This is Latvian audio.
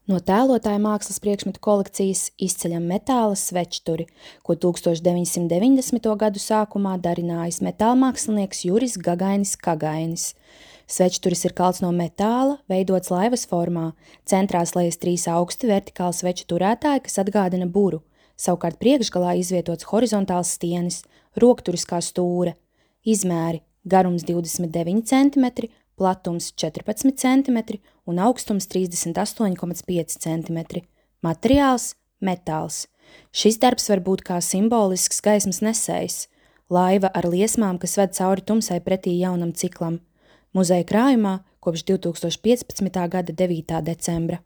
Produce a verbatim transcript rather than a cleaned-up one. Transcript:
No tēlotāja mākslas priekšmetu kolekcijas izceļam metāla svečturi, ko tūkstoš deviņsimt deviņdesmito gadu sākumā darinājis metālmākslinieks Juris Gagainis Kagainis. Svečturis ir kalts no metāla, veidots laivas formā, centrā slējas trīs augsti vertikāli sveču turētāji, kas atgādina buru, savukārt priekšgalā izvietots horizontāls stienis, rokturis kā stūre. Izmēri: garums divdesmit deviņi centimetri, platums četrpadsmit centimetri un augstums trīsdesmit astoņi komats pieci centimetri. Materiāls – metāls. Šis darbs var būt kā simbolisks gaismas nesējs. Laiva ar liesmām, kas ved cauri tumsai pretī jaunam ciklam. Muzeja krājumā kopš divtūkstoš piecpadsmitā gada devītā decembra.